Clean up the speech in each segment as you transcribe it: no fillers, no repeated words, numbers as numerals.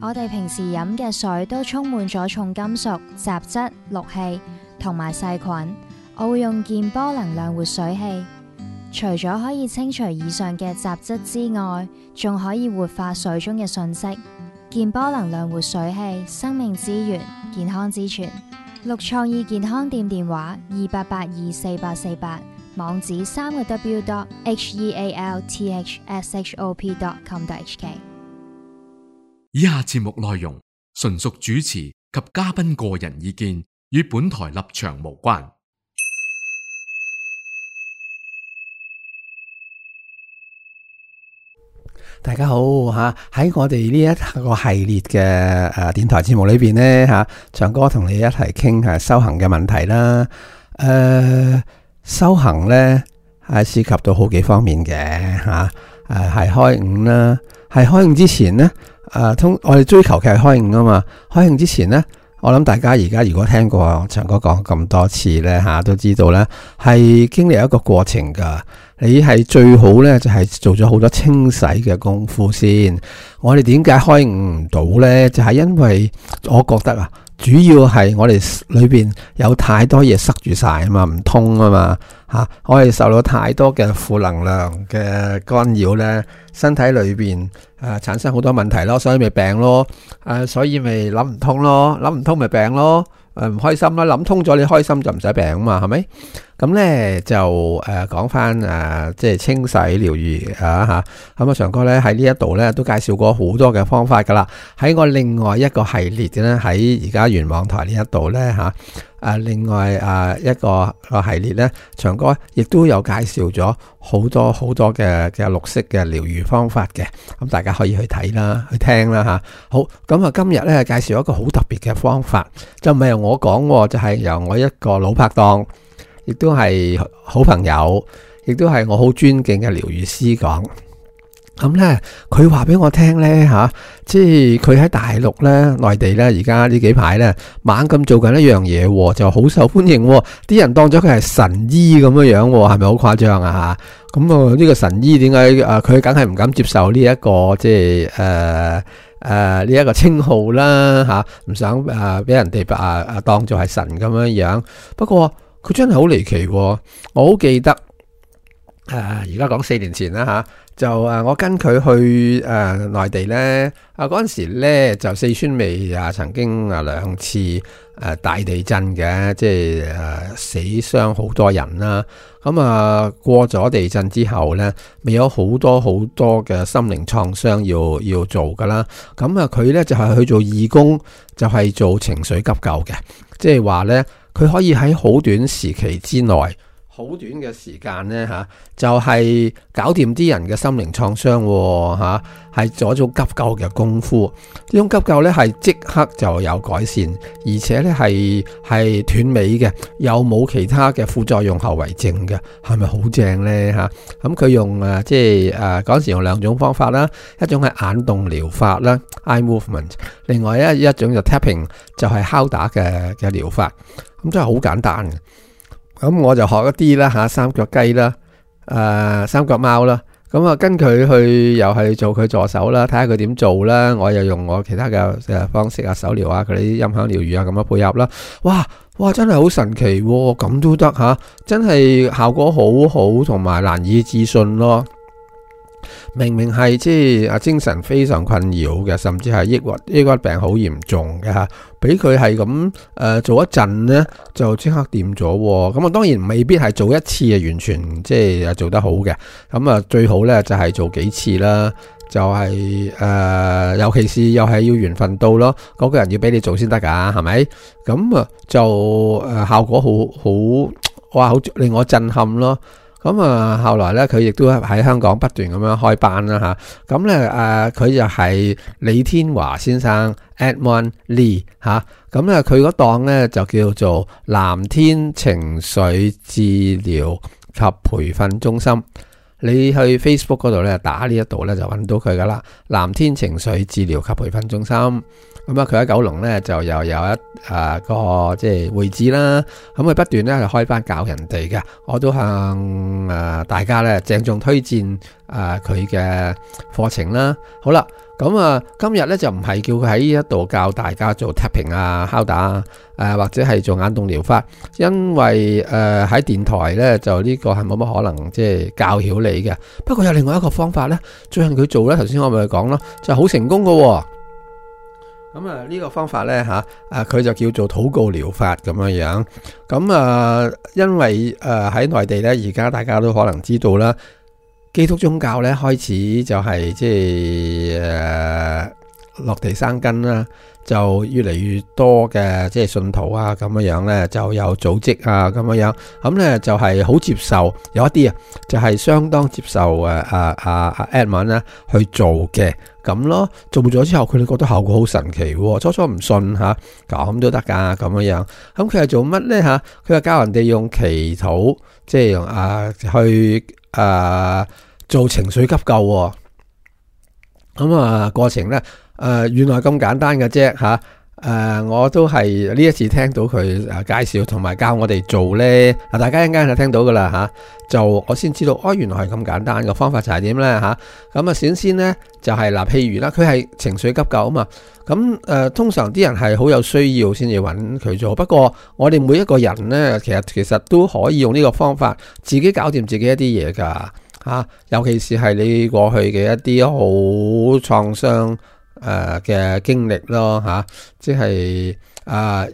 我哋平時飲嘅水都充滿咗重金屬、雜質、氯氣同埋細菌。我會用健波能量活水器，除咗可以清除以上嘅雜質之外，仲可以活化水中嘅訊息。健波能量活水器，生命之源，健康之泉。綠創意健康店電話28824848，網址3w.healthshop.com.hk。以下節目內容純屬主持及嘉賓個人意見，與本台立場無關。大家好吓，喺我哋呢一個系列嘅電台節目裏邊呢吓，長哥同你一齊傾下修行嘅問題啦。修行呢係涉及到好幾方面嘅吓，係開悟啦，係開悟之前呢，我哋追求嘅係開悟啊嘛。開悟之前呢，我諗大家而家如果聽過長哥講咁多次呢吓，都知道呢係經歷一個過程噶。你係最好呢，就係做咗好多清洗嘅功夫先。我哋點解開悟唔到呢？就係因為我覺得主要係我哋裏邊有太多嘢塞住晒啊嘛，唔通啊嘛吓。我哋受到太多嘅負能量嘅干擾呢，身體裏邊產生好多問題咯，所以咪病咯。所以咪諗唔通咯，諗唔通咪病咯。唔開心啦，諗通咗你開心就唔使病啊嘛，係咪？咁咧就講翻即係清洗療愈吓。咁長哥咧喺呢一度咧都介紹過好多嘅方法噶啦。喺我另外一個系列嘅咧，喺而家元網台呢一度咧另外一個系列咧，長哥亦都有介紹咗好多嘅綠色嘅療愈方法嘅。咁大家可以去睇啦，去聽啦吓。好，咁今日咧介紹一個好特別嘅方法，就唔係由我講，就係由我一個老拍檔，亦都係好朋友，亦都係我好尊敬嘅療愈師講。咁咧，佢話俾我聽咧即係佢喺大陸咧、內地咧，而家呢幾排咧猛咁做緊一樣嘢，就好受歡迎，啲人當咗佢係神醫咁樣樣，係咪好誇張啊？吓，咁呢個神醫點解佢梗係唔敢接受呢一個即係呢一個稱號啦吓，唔想俾人哋當做係神咁樣樣。不過佢真係好離奇，我好記得而家講4年前啦吓。就我跟佢去內地咧，嗰陣時咧就四川未曾經2次大地震嘅，即係死傷好多人啦。咁過咗地震之後咧，未有好多嘅心靈創傷要做噶啦。咁佢咧就係去做義工，就係做情緒急救嘅，即係話咧佢可以喺好短時期之內。好短嘅時間呢，就係搞掂啲人嘅心靈創傷係做一種急救嘅功夫。呢種急救呢係即刻就有改善，而且呢係斷尾嘅，又冇其他嘅副作用後遺症嘅，係咪好正呢？咁佢用即係嗰陣時用2種方法啦，一種係眼動療法啦 （eye movement）， 另外一種就 tapping， 就係敲打嘅療法。咁真係好簡單嘅。咁我就學一啲啦三腳雞啦，三腳貓啦，咁跟佢去又係做佢助手啦，睇下佢點做啦，我又用我其他嘅方式手療佢啲音響療愈咁樣配合啦。哇真係好神奇喎，咁都得真係效果好好，同埋難以置信咯。明明係即係精神非常困擾嘅，甚至係抑鬱病好嚴重嘅俾佢係咁做一陣呢，就即刻掂咗。咁當然未必係做一次完全即係做得好嘅。咁最好呢就係做幾次啦，就係尤其是又係要緣分到咯，嗰個人要俾你做先得噶，係咪？咁就效果好令我震撼咯。咁後來咧，佢亦都喺香港不斷咁樣開班啦吓。咁咧佢就係李天華先生 Edmond Lee 吓。咁咧佢嗰檔咧就叫做藍天情緒治療及培訓中心。你去 Facebook 嗰度咧打呢一度咧就揾到佢噶啦，藍天情緒治療及培訓中心。咁佢喺九龍咧就又有一個即係會址啦。咁佢不斷咧係開班教人哋嘅，我都向大家咧鄭重推薦佢嘅課程啦。好啦，咁咁啊，今日咧就唔係叫佢喺呢一度教大家做 tapping 啊、敲打啊，或者係做眼動療法，因為喺電台咧就呢個係冇乜可能即係教曉你嘅。不過有另外一個方法咧，最近佢做咧，頭先我咪講咯，就好成功㗎。咁啊呢個方法咧佢就叫做禱告療法咁樣樣。咁因為喺內地咧，而家大家都可能知道啦。基督宗教咧開始就係即係落地生根啦，就越嚟越多嘅即係信徒啊咁樣樣咧，就有組織啊咁樣樣，咁咧就係好接受，有一啲就係相當接受Edmund 咧去做嘅咁咯。做咗之後，佢哋覺得效果好神奇，初初唔信吓，咁都得噶咁樣樣。咁佢係做乜咧吓？佢係教人哋用祈禱，即係用去做情緒急救。咁過程咧原來咁簡單嘅啫吓。我都係呢一次聽到佢介紹同埋教我哋做咧，大家一陣間就聽到噶啦吓，就我先知道原來係咁簡單嘅方法就係點咧吓。咁先咧就係譬如啦，佢係情緒急救啊嘛。咁通常啲人係好有需要先至揾佢做，不過我哋每一個人咧，其實都可以用呢個方法自己搞掂自己一啲嘢噶吓，尤其是係你過去嘅一啲好創傷嘅經歷咯吓，即係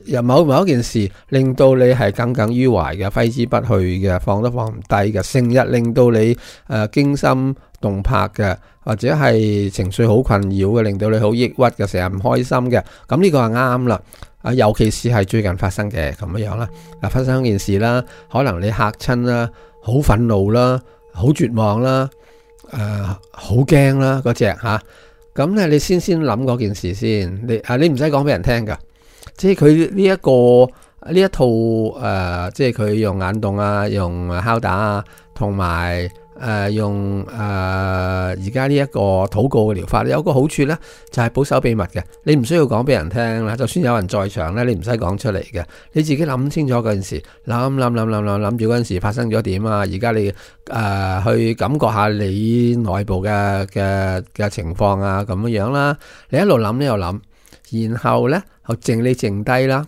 有某一件事令到你係耿耿於懷嘅，揮之不去嘅，放都放唔低嘅，成日令到你驚心動魄嘅，或者係情緒好困擾嘅，令到你好抑鬱嘅，成日唔開心嘅，咁呢個係啱啦。尤其是係最近發生嘅咁樣啦，發生件事啦，可能你嚇親啦，好憤怒啦，好絕望啦，好驚啦嗰隻吓。咁咧，你先諗嗰件事先，你唔使講俾人聽噶，即係佢呢一套即係佢用眼動啊，用敲打啊，同埋用而家呢一個禱告嘅療法，有個好處咧，就係保守秘密嘅，你唔需要講俾人聽啦。就算有人在場咧，你唔使講出嚟嘅，你自己諗清楚嗰件事，諗住嗰件事發生咗點啊。而家你去感覺下你內部嘅情況啊，咁樣啦。你一路諗呢度諗，然後咧就靜低啦。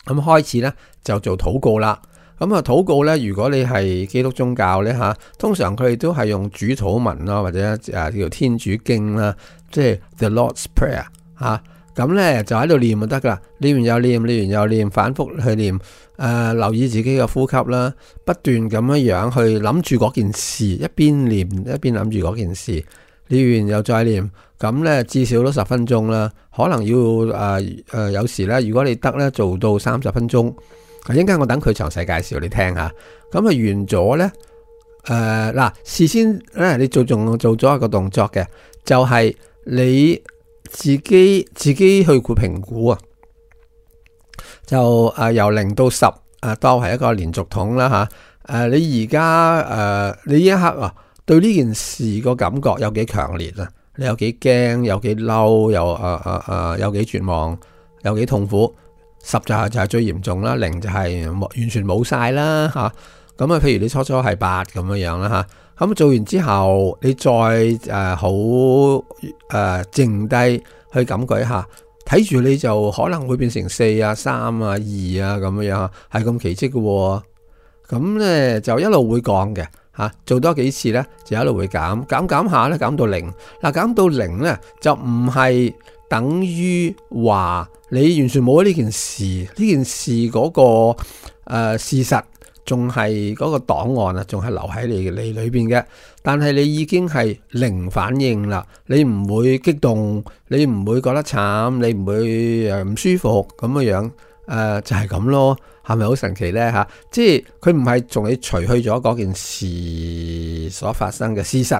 咁開始咧就做禱告啦。咁禱告咧，如果你係基督宗教咧吓，通常佢哋都係用主禱文啦，或者叫天主經啦，即係 The Lord's Prayer 吓。咁咧就喺度念就得噶啦，念完又念，反覆去念。留意自己嘅呼吸啦，不斷咁樣去諗住嗰件事，一邊念一邊諗住嗰件事，念完又再念。咁咧至少都10分鐘啦，可能要有時咧，如果你得咧做到30分鐘。一陣間我等佢詳細介紹你聽下。咁完咗咧，事先咧你做咗一個動作嘅，就係你自己去評估啊，就由0到10當係一個連續統啦吓。你而家你呢一刻對呢件事個感覺有幾強烈啊？你有幾驚，有幾嬲，有幾絕望，有幾痛苦？10就係最嚴重啦，0就係完全冇晒啦吓。咁譬如你初係8咁樣啦吓。咁做完之後，你再好靜低去感覺一下，睇住你就可能會變成4啊、3啊、2啊咁樣，係咁奇蹟嘅。咁咧就一路會降嘅吓，做多幾次咧就一路會減下咧，減到0。減到0咧就唔係等於話你完全冇咗呢件事，嗰個事實仲係嗰個檔案啊，仲係留喺你裏邊嘅，但係你已經係零反應啦，你唔會激動，你唔會覺得慘，你唔會唔舒服咁樣就係咁咯，係咪好神奇呢吓？即係佢唔係同你除去咗嗰件事所發生嘅事實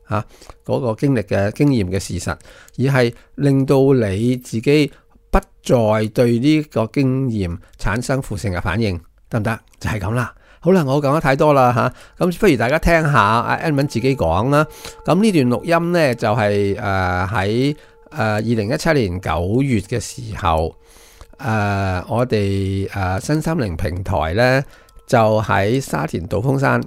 吓，嗰個經歷嘅經驗嘅事實，而係令到你自己不再對呢個經驗產生負性嘅反應，得唔得？就係咁啦。好啦，我講得太多啦吓，咁不如大家聽下阿 Edmund 自己講啦。咁呢段錄音呢，就係喺2017年9月嘅時候，我哋身心靈平台呢，就喺沙田道風山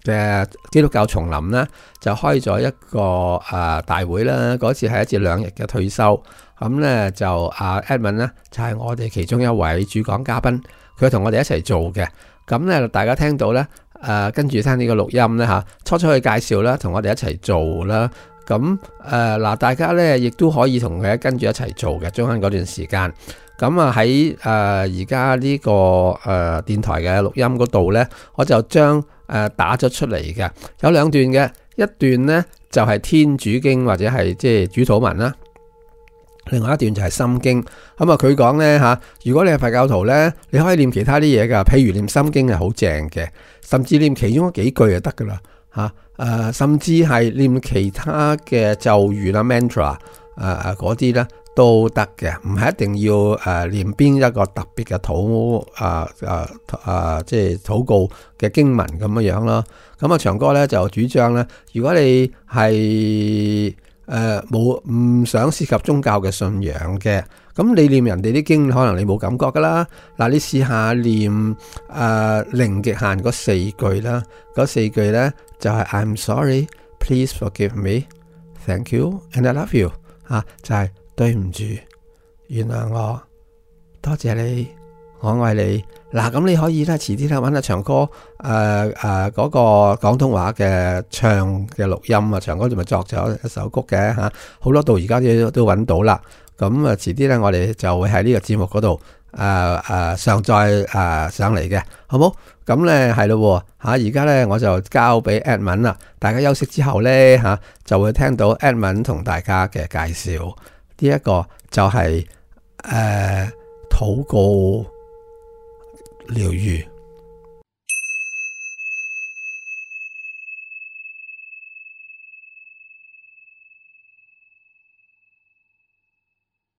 嘅基督教叢林呢，就開咗一個大會啦。嗰次係1至2日嘅退休，咁呢就Edmund 呢就係我哋其中一位主講嘉賓，佢同我哋一齊做嘅。咁呢大家聽到呢，跟住聽呢個錄音呢嚇，初去介紹啦，同我哋一齊做啦。咁嗱，大家呢亦都可以同佢跟住一齊做嘅，中間嗰段時間。咁喺而家呢個電台嘅錄音嗰度呢，我就將打咗出嚟嘅，有2段嘅，一段呢就係天主經或者係即係主禱文啦，另外一段就係心經。咁佢講呢嚇，如果你係佛教徒呢，你可以念其他啲嘢噶，譬如念心經係好正嘅，甚至念其中嗰幾句就得噶啦嚇，甚至係念其他嘅咒語啦 mantra 嗰啲呢都得嘅，唔係一定要念邊一個特別嘅即係禱告嘅經文咁樣咯。咁長哥咧就主張咧，如果你係唔想涉及宗教嘅信仰嘅，咁你念人哋啲經，可能你冇感覺噶啦。嗱，你試下念零極限嗰4句啦，嗰4句咧就係 I'm sorry, please forgive me, thank you and I love you 就係對唔住，原諒我，多謝你，我愛你。嗱，咁你可以咧，遲啲咧揾阿長哥嗰個廣東話嘅唱嘅錄音啊，長哥仲咪作咗一首曲嘅嚇，好多度而家都揾到啦。咁遲啲咧，我哋就會喺呢個節目嗰度上載上嚟嘅，好冇？咁咧係咯嚇，而家咧我就交俾 Edmund 啦，大家休息之後咧就會聽到 Edmund 同大家嘅介紹。呢一個就係禱告療癒。